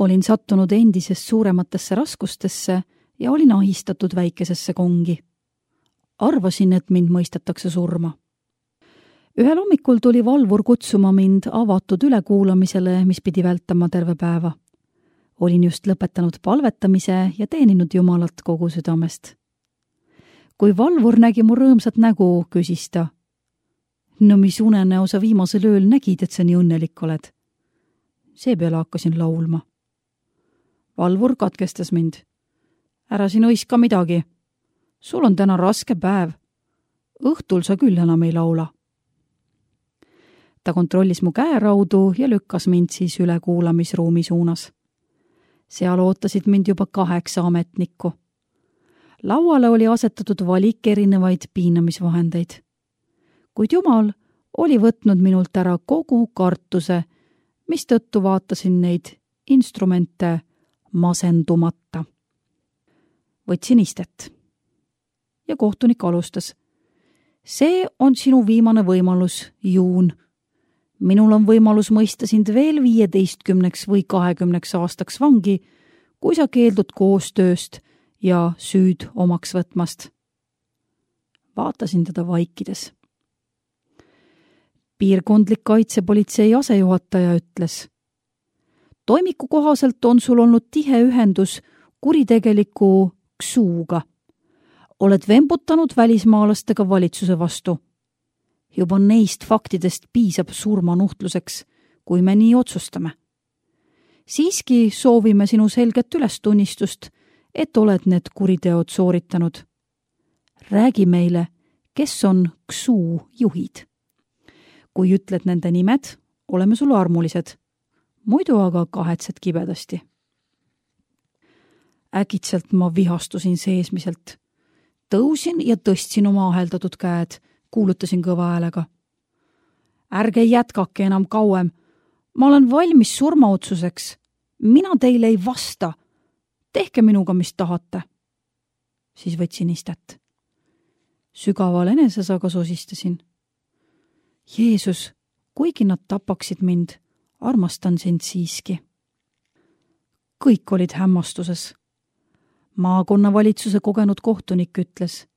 Olin sattunud endisest suurematesse raskustesse ja olin ahistatud väikesesse kongi. Arvasin, et mind mõistetakse surma. Ühel hommikul tuli valvur kutsuma mind avatud ülekuulamisele, mis pidi vältama terve päeva. Olin just lõpetanud palvetamise ja teeninud Jumalat kogu südamest. Kui valvur nägi mu rõõmsat nägu, küsis ta: "No mis unenäo sa viimasel ööl nägid, et sa nii õnnelik oled?" Seepeale hakkasin laulma. Valvur katkestas mind. "Ära siin õiska midagi. Sul on täna raske päev. Õhtul sa küll enam ei laula." Ta kontrollis mu käeraudu ja lükkas mind siis ülekuulamisruumi suunas. Seal ootasid mind juba 8 ametnikku. Lauale oli asetatud valik erinevaid piinamisvahendeid. Kuid Jumal oli võtnud minult ära kogu kartuse, mistõttu vaatasin neid instrumente masendumata. Võtsin istet. Ja kohtunik alustas: "See on sinu viimane võimalus, Juun. Minul on võimalus mõista sind veel 15 või 20 aastaks vangi, kui sa keeldud koostööst ja süüd omaks võtmast." Vaatasin teda vaikides. Piirkondlik kaitsepolitsei asejuhataja ütles: "Toimiku kohaselt on sul olnud tihe ühendus kuritegeliku Ksuuga. Oled vembutanud välismaalastega valitsuse vastu. Juba neist faktidest piisab surmanuhtluseks, kui me nii otsustame. Siiski soovime sinu selget ülestunnistust, et oled need kuriteod sooritanud. Räägi meile, kes on Ksuu juhid. Kui ütled nende nimed, oleme sulle armulised. Muidu aga kahetsed kibedasti." Äkitselt ma vihastusin seesmiselt. Tõusin ja tõstsin oma aheldatud käed, kuulutasin kõva häälega: "Ärge jätkake enam kauem. Ma olen valmis surmaotsuseks. Mina teile ei vasta. Tehke minuga, mis tahate." Siis võtsin istet. Sügaval enesesaga sosistasin: "Jeesus, kuigi nad tapaksid mind, armastan sind siiski." Kõik olid hämmastuses. Maakonnavalitsuse kogenud kohtunik ütles: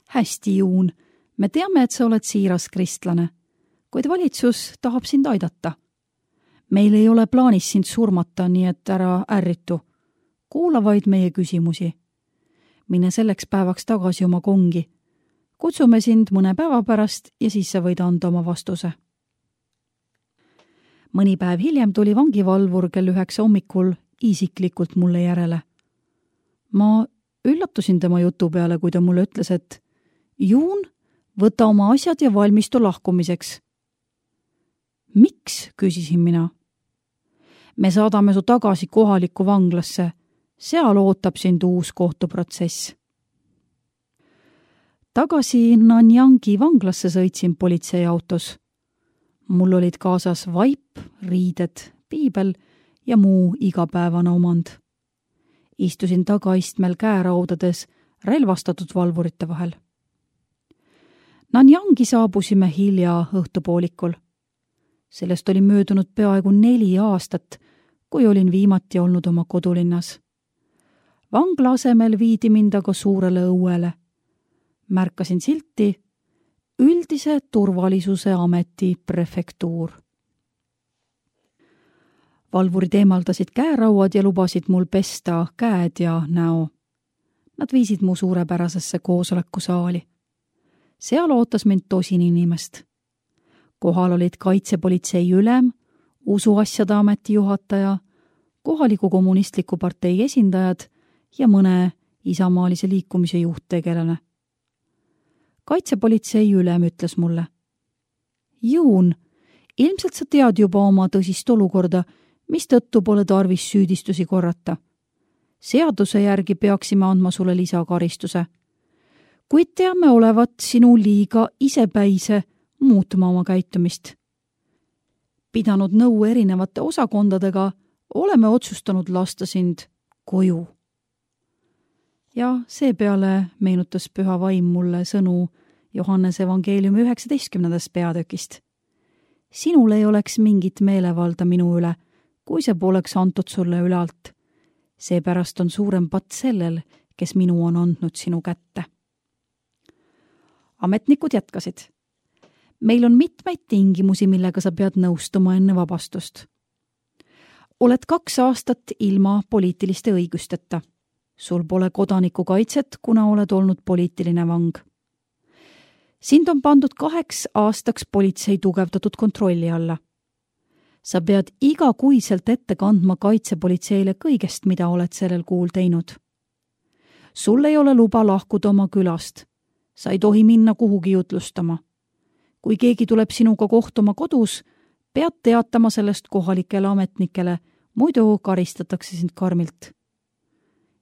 "Hästi, Juun, me teame, et sa oled siiras kristlane, kuid valitsus tahab sind aidata. Meil ei ole plaanis sind surmata, nii et ära ärritu. Kuula vaid meie küsimusi. Mine selleks päevaks tagasi oma kongi. Kutsume sind mõne päeva pärast ja siis sa võid anda oma vastuse." Mõni päev hiljem tuli vangivalvur kell 9 hommikul isiklikult mulle järele. Ma üllatusin tema jutu peale, kui ta mulle ütles, et "Juun, võta oma asjad ja valmistu lahkumiseks." "Miks?" küsisin mina. "Me saadame su tagasi kohalikku vanglasse. Seal ootab sind uus kohtuprotsess." Tagasi Nanyangi vanglasse sõitsin politseiautos. Mul olid kaasas vaip, riided, piibel ja muu igapäevane omand. Istusin tagaistmel käeraudades relvastatud valvurite vahel. Nanyangi saabusime hilja õhtupoolikul. Sellest oli möödunud peaaegu 4 aastat, kui olin viimati olnud oma kodulinnas. Vangla asemel viidi mind aga suurele õuele. Märkasin silti Üldise turvalisuse ameti prefektuur. Valvurid eemaldasid käerauad ja lubasid mul pesta käed ja näo. Nad viisid mu suurepärasesse koosolekusaali. Seal ootas mind 10 inimest. Kohal olid kaitsepolitsei ülem, usuasjade ameti juhataja, kohaliku kommunistliku partei esindajad ja mõne isamaalise liikumise juhttegelane. Kaitsepolitsei ülem ütles mulle: "Juun, ilmselt sa tead juba oma tõsist olukorda, mistõttu pole tarvis süüdistusi korrata. Seaduse järgi peaksime andma sulle lisakaristuse. Kuid teame olevat sinu liiga isepäise muutma oma käitumist. Pidanud nõu erinevate osakondadega, oleme otsustanud lasta sind koju." Ja seepeale meenutas püha vaim mulle sõnu Johannese evangeeliumi 19. peatükist. "Sinul ei oleks mingit meelevalda minu üle, kui see poleks antud sulle ülalt. Seepärast on suurem patt sellel, kes minu on andnud sinu kätte. Ametnikud jätkasid. Meil on mitmeid tingimusi, millega sa pead nõustuma enne vabastust. Oled 2 aastat ilma poliitiliste õigusteta. Sul pole kodanikukaitset, kuna oled olnud poliitiline vang. Sind on pandud 2 aastaks politsei tugevdatud kontrolli alla. Sa pead igakuiselt ette kandma kaitsepolitseile kõigest, mida oled sellel kuul teinud. Sul ei ole luba lahkuda oma külast. Sa ei tohi minna kuhugi jutlustama. Kui keegi tuleb sinuga kohtuma kodus, pead teatama sellest kohalikele ametnikele, muidu karistatakse sind karmilt.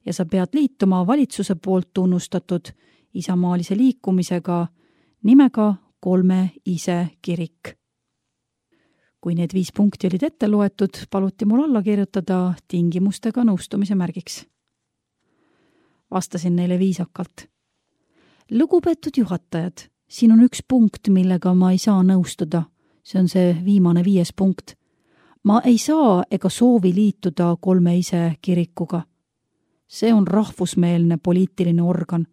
Ja sa pead liituma valitsuse poolt tunnustatud isamaalise liikumisega nimega 3 ise kirik. Kui need 5 punkti olid ette loetud, paluti mul alla kirjutada tingimustega nõustumise märgiks. Vastasin neile viisakalt. Lugupeetud juhatajad, siin on 1 punkt, millega ma ei saa nõustuda. See on see viimane 5. punkt. Ma ei saa ega soovi liituda 3 ise kirikuga. See on rahvusmeelne poliitiline organ.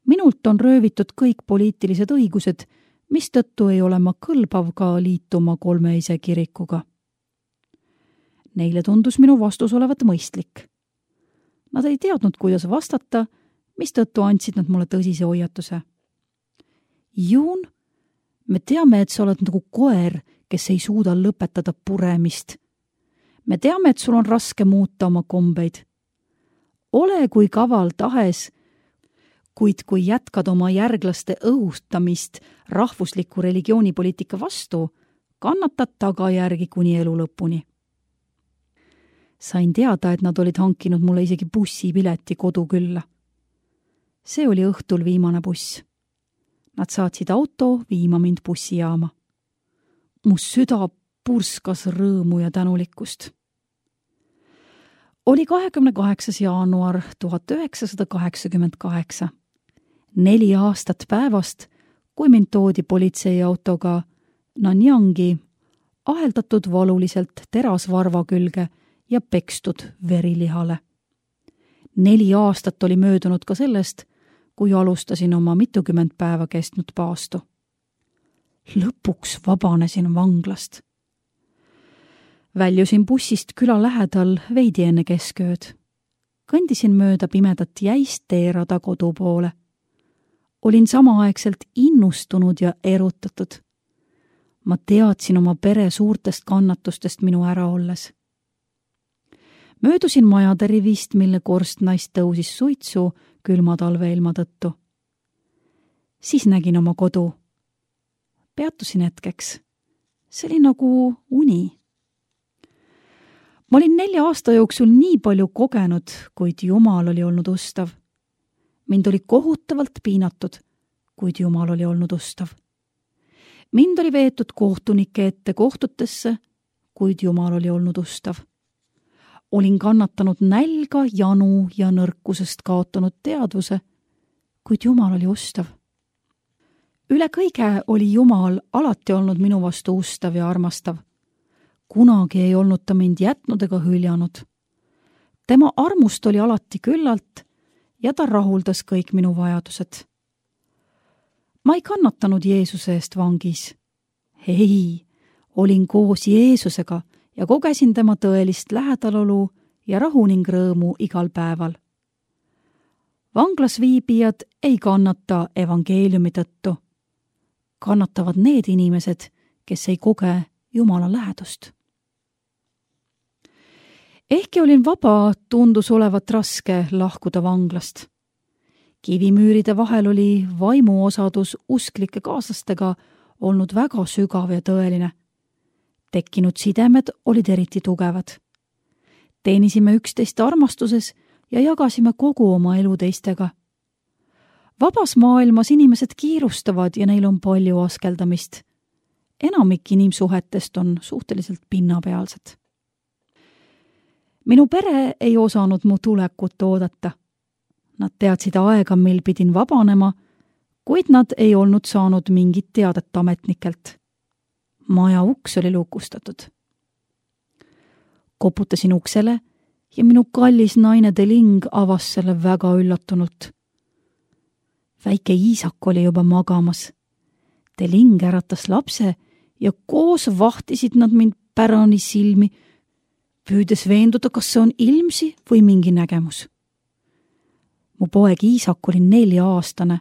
Minult on röövitud kõik poliitilised õigused, mistõttu ei ole ma kõlbav ka liituma 3 ise kirikuga. Neile tundus minu vastus olevat mõistlik. Nad ei teadnud, kuidas vastata, mistõttu andsid nad mulle tõsise hoiatuse. Juun, me teame, et sa oled nagu koer, kes ei suuda lõpetada puremist. Me teame, et sul on raske muuta oma kombeid. Ole kui kaval tahes, kuid kui jätkad oma järglaste õhustamist rahvusliku religioonipoliitika vastu, kannatad tagajärgi kuni elu lõpuni. Sain teada, et nad olid hankinud mulle isegi bussipileti kodukülla. See oli õhtul viimane buss. Nad saatsid auto viima mind bussijaama. Mu süda purskas rõõmu ja tänulikkust. Oli 28. jaanuar 1988. 4 aastat päevast, kui mind toodi politseiautoga Nanyangi, aheldatud valuliselt terasvarva külge ja pekstud verilihale. 4 aastat oli möödunud ka sellest, kui alustasin oma mitukümmend päeva kestnud paastu. Lõpuks vabanesin vanglast. Väljusin bussist küla lähedal veidi enne keskööd. Kõndisin mööda pimedat jäist teerada kodu poole. Olin samaaegselt innustunud ja erutatud. Ma teadsin oma pere suurtest kannatustest minu ära olles. Möödusin majade rivist, mille korstnaist tõusis suitsu külma talveilma tõttu. Siis nägin oma kodu. Peatusin hetkeks. See oli nagu uni. Ma olin 4 aasta jooksul nii palju kogenud, kuid Jumal oli olnud ustav. Mind oli kohutavalt piinatud, kuid Jumal oli olnud ustav. Mind oli veetud kohtunike ette kohtutesse, kuid Jumal oli olnud ustav. Olin kannatanud nälga, janu ja nõrkusest kaotanud teadvuse, kuid Jumal oli ustav. Üle kõige oli Jumal alati olnud minu vastu ustav ja armastav. Kunagi ei olnud ta mind jätnud ega hüljanud. Tema armust oli alati küllalt ja ta rahuldas kõik minu vajadused. Ma ei kannatanud Jeesuse eest vangis. Ei, olin koos Jeesusega ja kogesin tema tõelist lähedalolu ja rahu ning rõõmu igal päeval. Vanglas viibijad ei kannata evangeeliumi tõttu. Kannatavad need inimesed, kes ei koge Jumala lähedust. Ehkki olin vaba, tundus olevat raske lahkuda vanglast. Kivimüüride vahel oli vaimuosadus usklike kaaslastega olnud väga sügav ja tõeline. Tekkinud sidemed olid eriti tugevad. Teenisime üksteist armastuses ja jagasime kogu oma elu teistega. Vabas maailmas inimesed kiirustavad ja neil on palju askeldamist. Enamik inimsuhetest on suhteliselt pinnapealsed. Minu pere ei osanud mu tulekut oodata. Nad teadsid aega, mil pidin vabanema, kuid nad ei olnud saanud mingit teadet ametnikelt. Maja uks oli lukustatud. Koputasin uksele ja minu kallis naine Deling avas selle väga üllatunult. Väike Iisak oli juba magamas. Deling äratas lapse ja koos vahtisid nad mind pärani silmi, püüdes veenduda, kas see on ilmsi või mingi nägemus. Mu poeg Iisak oli 4-aastane,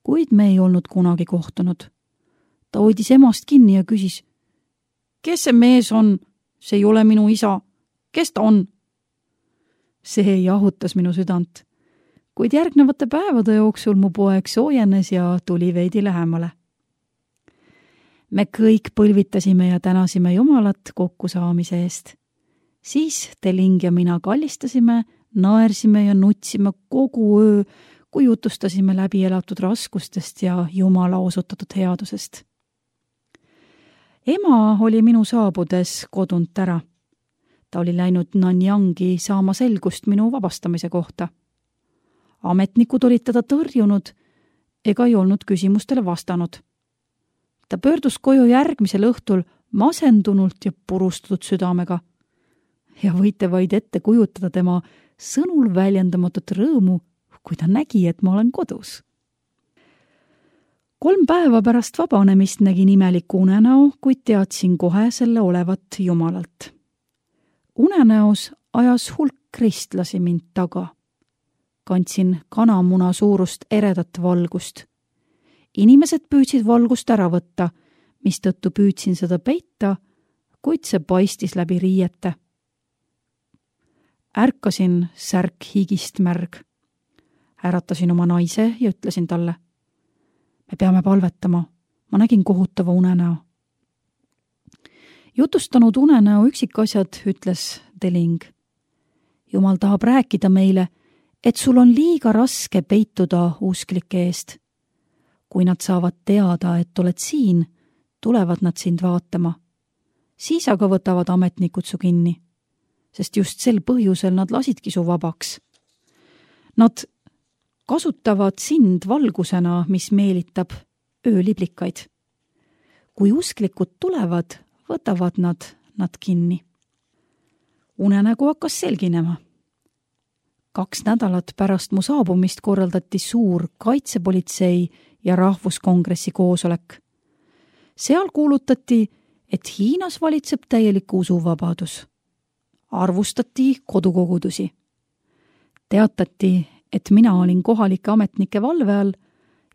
kuid me ei olnud kunagi kohtunud. Ta hoidis emast kinni ja küsis, kes see mees on? See ei ole minu isa. Kes ta on? See jahutas minu südant, kuid järgnevate päevade jooksul mu poeg soojenes ja tuli veidi lähemale. Me kõik põlvitasime ja tänasime Jumalat kokkusaamise eest. Siis Deling ja mina kallistasime, naersime ja nutsime kogu öö, kui jutustasime läbi elatud raskustest ja Jumala osutatud headusest. Ema oli minu saabudes kodunt ära. Ta oli läinud Nanyangi saama selgust minu vabastamise kohta. Ametnikud olid teda tõrjunud ega ei olnud küsimustele vastanud. Ta pöördus koju järgmisel õhtul masendunult ja purustatud südamega. Ja võite vaid ette kujutada tema sõnul väljendamatut rõõmu, kui ta nägi, et ma olen kodus. 3 päeva pärast vabanemist nägin imeliku unenäo, kuid teadsin kohe selle olevat Jumalalt. Unenäos ajas hulk kristlasi mind taga. Kandsin kanamuna suurust eredat valgust. Inimesed püüdsid valgust ära võtta, mistõttu püüdsin seda peita, kuid see paistis läbi riiete. Ärkasin särk higist märg. Äratasin oma naise ja ütlesin talle, me peame palvetama, ma nägin kohutava unenäo. Jutustanud unenäo üksikasjad, ütles Deling. Jumal tahab rääkida meile, et sul on liiga raske peituda usklike eest. Kui nad saavad teada, et oled siin, tulevad nad sind vaatama. Siis aga võtavad ametnikud su kinni, sest just sel põhjusel nad lasidki su vabaks. Nad kasutavad sind valgusena, mis meelitab ööliblikaid. Kui usklikud tulevad, võtavad nad kinni. Unenägu hakkas selginema. 2 nädalat pärast mu saabumist korraldati suur kaitsepolitsei ja rahvuskongressi koosolek. Seal kuulutati, et Hiinas valitseb täielik usuvabadus. Arvustati kodukogudusi. Teatati, et mina olin kohalike ametnike valve all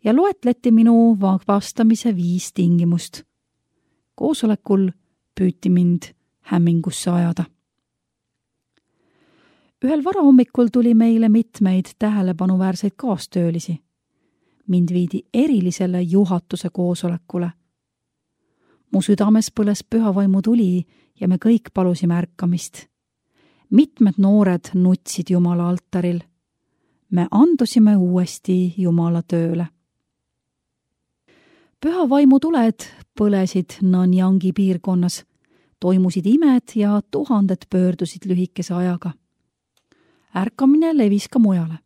ja loetleti minu vabastamise 5 tingimust. Koosolekul püüti mind hämmingusse ajada. Ühel varahommikul tuli meile mitmeid tähelepanuväärseid kaastöölisi. Mind viidi erilisele juhatuse koosolekule. Mu südames põles pühavaimu tuli ja me kõik palusime ärkamist. Mitmed noored nutsid Jumala altaril. Me andusime uuesti Jumala tööle. Pühavaimu tuled põlesid Nanyangi piirkonnas. Toimusid imed ja 1000 pöördusid lühikese ajaga. Ärkamine levis ka mujale.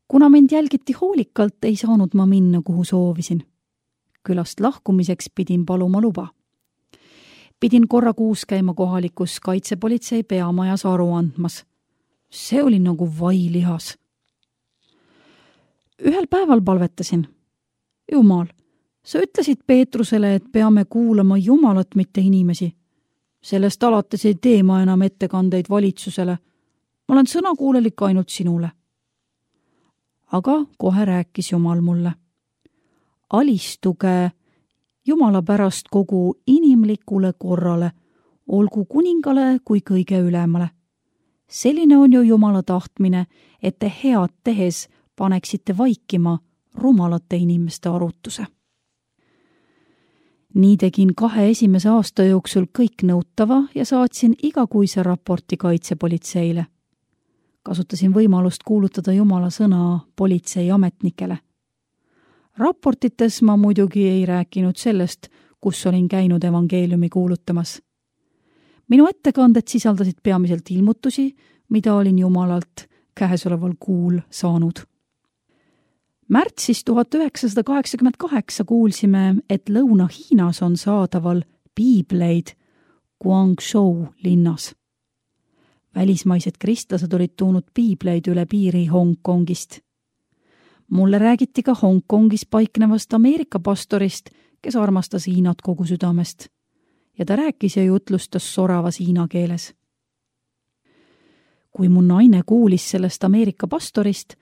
Kuna mind jälgiti hoolikalt, ei saanud ma minna, kuhu soovisin. Külast lahkumiseks pidin paluma luba. Pidin korra kuus käima kohalikus kaitsepolitsei peamajas aru andmas. See oli nagu vailihas. Ühel päeval palvetasin. Jumal, sa ütlesid Peetrusele, et peame kuulama Jumalat, mitte inimesi. Sellest alates ei tee ma enam ettekandeid valitsusele. Ma olen sõnakuulelik ainult sinule. Aga kohe rääkis Jumal mulle. Alistuge Jumala pärast kogu inimlikule korrale, olgu kuningale kui kõige ülemale. Selline on ju Jumala tahtmine, et te head tehes paneksite vaikima rumalate inimeste arutuse. Nii tegin 2 esimese aasta jooksul kõik nõutava ja saatsin igakuise raporti kaitsepolitseile. Kasutasin võimalust kuulutada Jumala sõna politseiametnikele. Raportites ma muidugi ei rääkinud sellest, kus olin käinud evangeeliumi kuulutamas. Minu ettekanded sisaldasid peamiselt ilmutusi, mida olin Jumalalt käesoleval kuul saanud. Märtsis 1988 kuulsime, et Lõuna-Hiinas on saadaval piibleid Guangzhou linnas. Välismaised kristlased olid toonud piibleid üle piiri Hongkongist. Mulle räägiti ka Hongkongis paiknevast Ameerika pastorist, kes armastas Hiinat kogu südamest. Ja ta rääkis ja jutlustas soravas hiina keeles. Kui mu naine kuulis sellest Ameerika pastorist,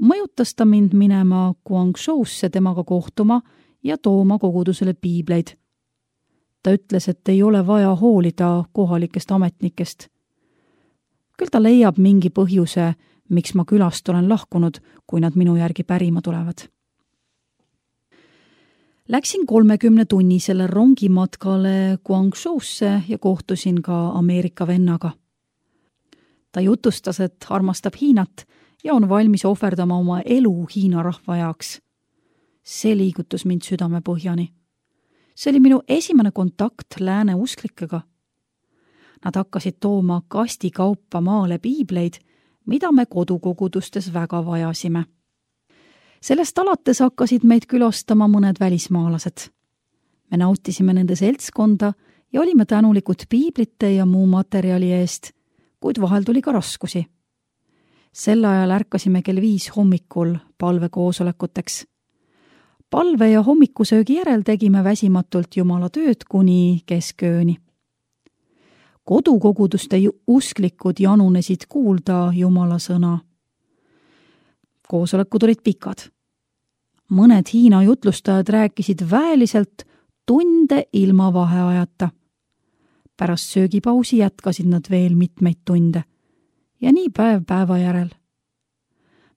mõjutas ta mind minema Guangzhousse temaga kohtuma ja tooma kogudusele piibleid. Ta ütles, et ei ole vaja hoolida kohalikest ametnikest. Küll ta leiab mingi põhjuse, miks ma külast olen lahkunud, kui nad minu järgi pärima tulevad. Läksin 30-tunnisele rongimatkale Guangzhousse ja kohtusin ka Ameerika vennaga. Ta jutustas, et armastab Hiinat ja on valmis ohverdama oma elu Hiina rahva jaoks. See liigutus mind südame põhjani. See oli minu esimene kontakt lääne usklikega. Nad hakkasid tooma kastikaupa maale piibleid, mida me kodukogudustes väga vajasime. Sellest alates hakkasid meid külastama mõned välismaalased. Me nautisime nende seltskonda ja olime tänulikud piiblite ja muu materjali eest, kuid vahel tuli ka raskusi. Sel ajal ärkasime kell 5 hommikul palvekoosolekuteks. Palve ja hommikusöögi järel tegime väsimatult Jumala tööd kuni keskööni. Kodukoguduste usklikud janunesid kuulda Jumala sõna. Koosolekud olid pikad. Mõned Hiina jutlustajad rääkisid väeliselt tunde ilma vaheajata. Pärast söögipausi jätkasid nad veel mitmeid tunde ja nii päev päeva järel.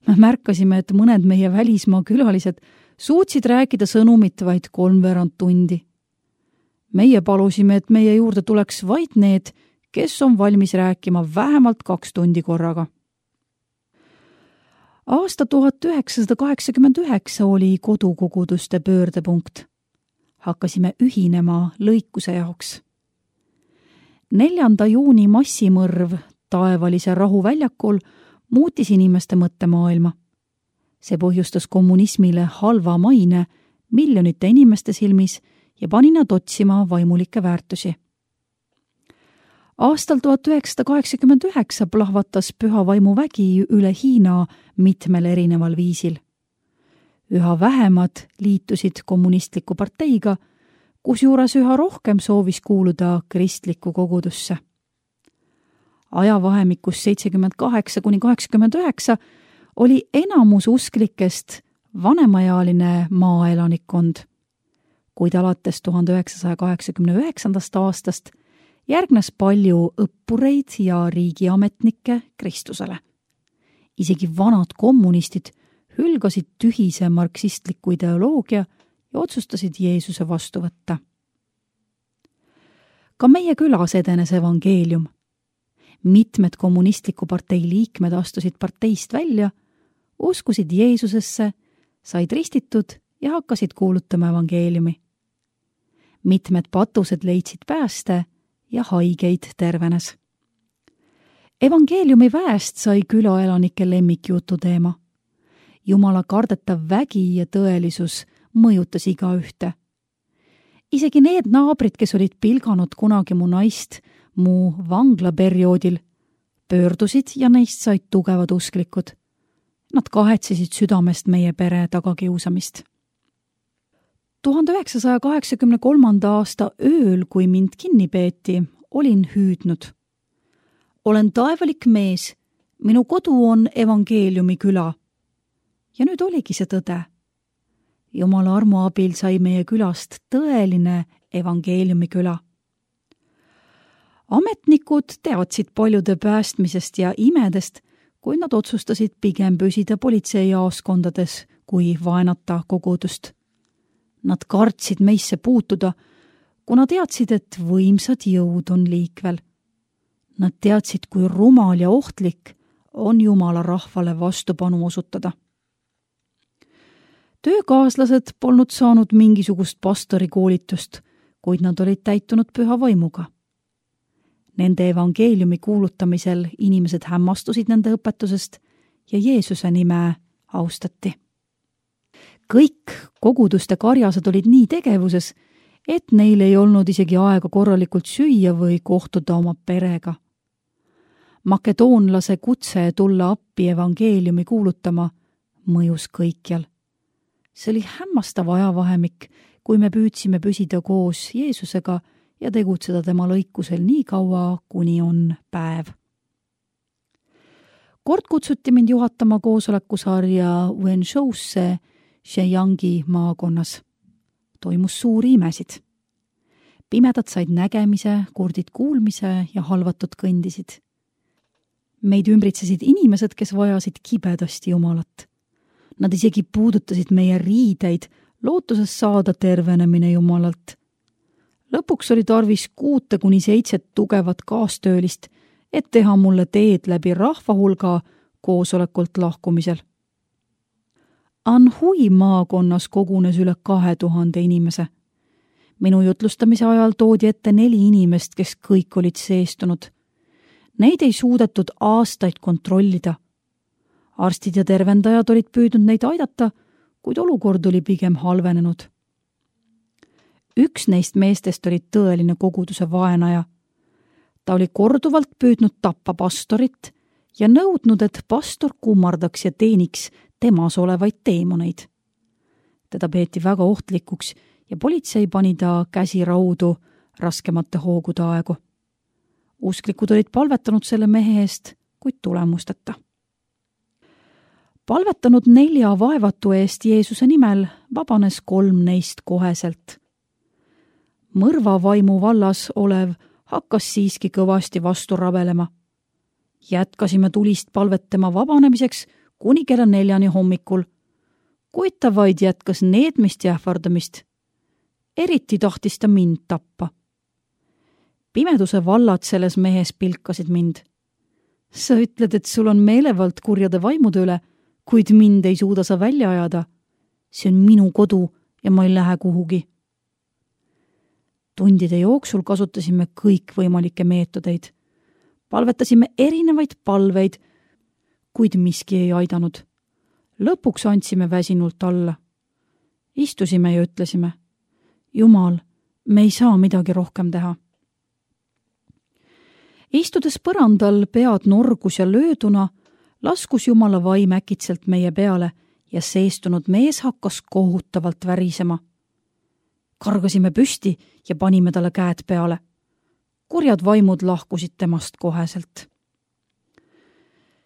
Me märkasime, et mõned meie välismaa külalised suutsid rääkida sõnumit vaid 3/4 tundi. Meie palusime, et meie juurde tuleks vaid need, kes on valmis rääkima vähemalt 2 tundi korraga. Aasta 1989 oli kodukoguduste pöördepunkt. Hakkasime ühinema lõikuse jaoks. 4. juuni massimõrv taevalise rahuväljakul muutis inimeste mõttemaailma. See põhjustas kommunismile halva maine miljonite inimeste silmis ja pani nad otsima vaimulikke väärtusi. Aastal 1989 plahvatas püha vaimu vägi üle Hiina mitmel erineval viisil. Üha vähemad liitusid kommunistliku parteiga, kusjuures üha rohkem soovis kuuluda kristlikku kogudusse. Ajavahemikus 78–89 oli enamus usklikest vanemaealine maaelanikkond, kuid alates 1989. aastast järgnes palju õppureid ja riigiametnikke Kristusele. Isegi vanad kommunistid hülgasid tühise marksistliku ideoloogia ja otsustasid Jeesuse vastu võtta. Ka meie külas edenes evangeelium. Mitmed kommunistliku partei liikmed astusid parteist välja, uskusid Jeesusesse, said ristitud ja hakkasid kuulutama evangeeliumi. Mitmed patused leidsid pääste ja haigeid tervenes. Evangeeliumi väest sai külaelanike lemmikjutu teema. Jumala kardetav vägi ja tõelisus mõjutas igaühte. Isegi need naabrid, kes olid pilganud kunagi mu naist mu vanglaperioodil, pöördusid ja neist said tugevad usklikud. Nad kahetsesid südamest meie pere tagakiusamist. 1983. aasta ööl, kui mind kinni peeti, olin hüüdnud. Olen taevalik mees, minu kodu on evangeeliumi küla. Ja nüüd oligi see tõde. Jumala armu abil sai meie külast tõeline evangeeliumi küla. Ametnikud teadsid paljude päästmisest ja imedest, kui nad otsustasid pigem püsida politseijaoskondades kui vaenata kogudust. Nad kartsid meisse puutuda, kuna teadsid, et võimsad jõud on liikvel. Nad teadsid, kui rumal ja ohtlik on Jumala rahvale vastupanu osutada. Töökaaslased polnud saanud mingisugust pastorikoolitust, kuid nad olid täitunud püha vaimuga. Nende evangeeliumi kuulutamisel inimesed hämmastusid nende õpetusest ja Jeesuse nime austati. Kõik koguduste karjased olid nii tegevuses, et neil ei olnud isegi aega korralikult süüa või kohtuda oma perega. Makedoonlase kutse tulla appi evangeeliumi kuulutama mõjus kõikjal. See oli hämmastav ajavahemik, kui me püüdsime püsida koos Jeesusega ja tegutseda tema lõikusel nii kaua, kuni on päev. Kord kutsuti mind juhatama koosolekusarja Wenshousse Sheyangi maakonnas. Toimus suuri imesid. Pimedad said nägemise, kurdid kuulmise ja halvatud kõndisid. Meid ümbritsesid inimesed, kes vajasid kibedasti Jumalat. Nad isegi puudutasid meie riideid, lootuses saada tervenemine Jumalalt. Lõpuks oli tarvis 6-7 tugevat kaastöölist, et teha mulle teed läbi rahvahulga koosolekult lahkumisel. Anhui maakonnas kogunes üle 2000 inimese. Minu jutlustamise ajal toodi ette 4 inimest, kes kõik olid seestunud. Neid ei suudetud aastaid kontrollida. Arstid ja tervendajad olid püüdnud neid aidata, kuid olukord oli pigem halvenenud. Üks neist meestest oli tõeline koguduse vaenaja. Ta oli korduvalt püüdnud tappa pastorit ja nõudnud, et pastor kummardaks ja teeniks temas olevaid teemoneid. Teda peeti väga ohtlikuks ja politsei pani ta käsi raudu raskemate hoogude aegu. Usklikud olid palvetanud selle mehe eest, kuid tulemusteta. Palvetanud 4 vaevatu eest Jeesuse nimel vabanes 3 neist koheselt. Mõrvavaimu vallas olev hakkas siiski kõvasti vastu rabelema. Jätkasime tulist palvet tema vabanemiseks kuni kella 4 hommikul, kuid ta vaid jätkas needmist ja ähvardamist. Eriti tahtis ta mind tappa. Pimeduse vallad selles mehes pilkasid mind. Sa ütled, et sul on meelevald kurjade vaimude üle, kuid mind ei suuda sa välja ajada. See on minu kodu ja ma ei lähe kuhugi. Tundide jooksul kasutasime kõikvõimalikke meetodeid. Palvetasime erinevaid palveid, kuid miski ei aidanud. Lõpuks andsime väsinult alla. Istusime ja ütlesime, Jumal, me ei saa midagi rohkem teha. Istudes põrandal pead norgus ja lööduna, laskus Jumala vaim äkitselt meie peale ja seestunud mees hakkas kohutavalt värisema. Kargasime püsti ja panime talle käed peale. Kurjad vaimud lahkusid temast koheselt.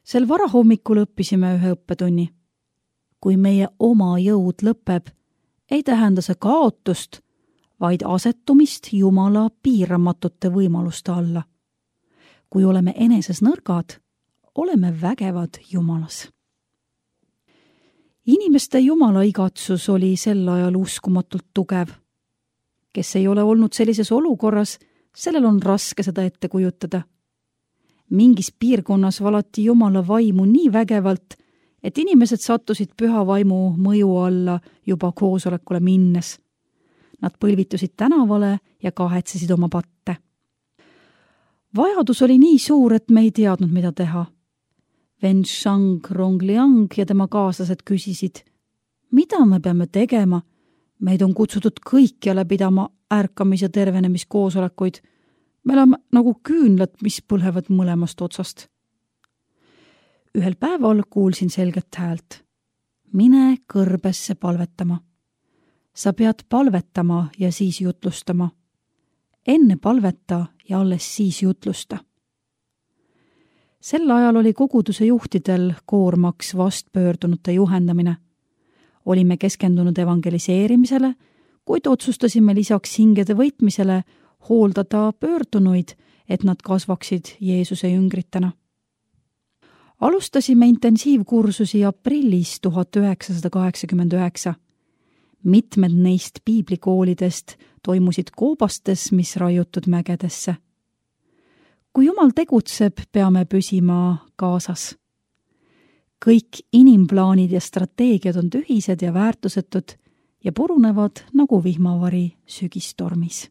Sel varahommikul õppisime ühe õppetunni. Kui meie oma jõud lõpeb, ei tähenda see kaotust, vaid asetumist Jumala piiramatute võimaluste alla. Kui oleme eneses nõrgad, oleme vägevad Jumalas. Inimeste Jumala igatsus oli sel ajal uskumatult tugev. Kes ei ole olnud sellises olukorras, sellel on raske seda ette kujutada. Mingis piirkonnas valati Jumala vaimu nii vägevalt, et inimesed sattusid püha vaimu mõju alla juba koosolekule minnes. Nad põlvitusid tänavale ja kahetsesid oma patte. Vajadus oli nii suur, et me ei teadnud, mida teha. Wenshang Rongliang ja tema kaaslased küsisid, mida me peame tegema? Meid on kutsutud kõikjale pidama ärkamis- ja tervenemiskoosolekuid. Me oleme nagu küünlad, mis põlevad mõlemast otsast. Ühel päeval kuulsin selget häält. Mine kõrbesse palvetama. Sa pead palvetama ja siis jutlustama. Enne palveta ja alles siis jutlusta. Sel ajal oli koguduse juhtidel koormaks vastpöördunute juhendamine. Olime keskendunud evangeliseerimisele, kuid otsustasime lisaks hingede võitmisele hooldada pöördunuid, et nad kasvaksid Jeesuse jüngritena. Alustasime intensiivkursusi aprillis 1989. Mitmed neist piiblikoolidest toimusid koobastes, mis raiutud mägedesse. Kui Jumal tegutseb, peame püsima kaasas. Kõik inimplaanid ja strateegiad on tühised ja väärtusetud ja purunevad nagu vihmavari sügistormis.